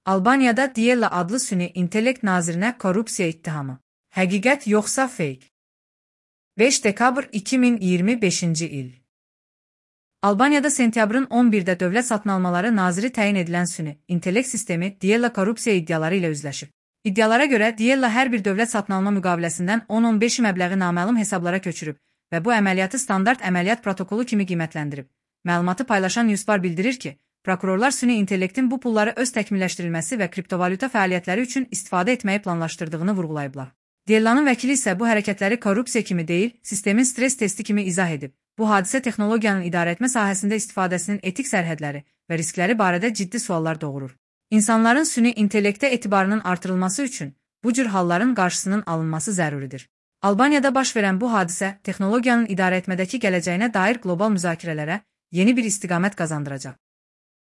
Albaniyada Diella adlı süni intellekt nazirinə korrupsiya ittihamı. Həqiqət yoxsa feyk? 5 dekabr 2025-ci il. Albaniyada sentyabrın 11-də dövlət satın almaları naziri təyin edilən süni intellekt sistemi Diella korrupsiya iddiaları ilə üzləşib. İddialara görə Diella hər bir dövlət satın alma müqaviləsindən 10-15 məbləği naməlum hesablara köçürüb və bu əməliyyatı standart əməliyyat protokolu kimi qiymətləndirib. Məlumatı paylaşan Newsbar bildirir ki, prokurorlar süni intellektin bu pulları öz təkmilləşdirilməsi və kriptovalyuta fəaliyyətləri üçün istifadə etməyi planlaşdırdığını vurğulayıblar. Diellanın vəkili isə bu hərəkətləri korrupsiya kimi deyil, sistemin stres testi kimi izah edib. Bu hadisə texnologiyanın idarəetmə sahəsində istifadəsinin etik sərhədləri və riskləri barədə ciddi suallar doğurur. İnsanların süni intellektə etibarının artırılması üçün bu cür halların qarşısının alınması zəruridir. Albaniyada baş verən bu hadisə texnologiyanın idarəetmədəki gələcəyinə dair qlobal müzakirələrə yeni bir istiqamət qazandıracaq.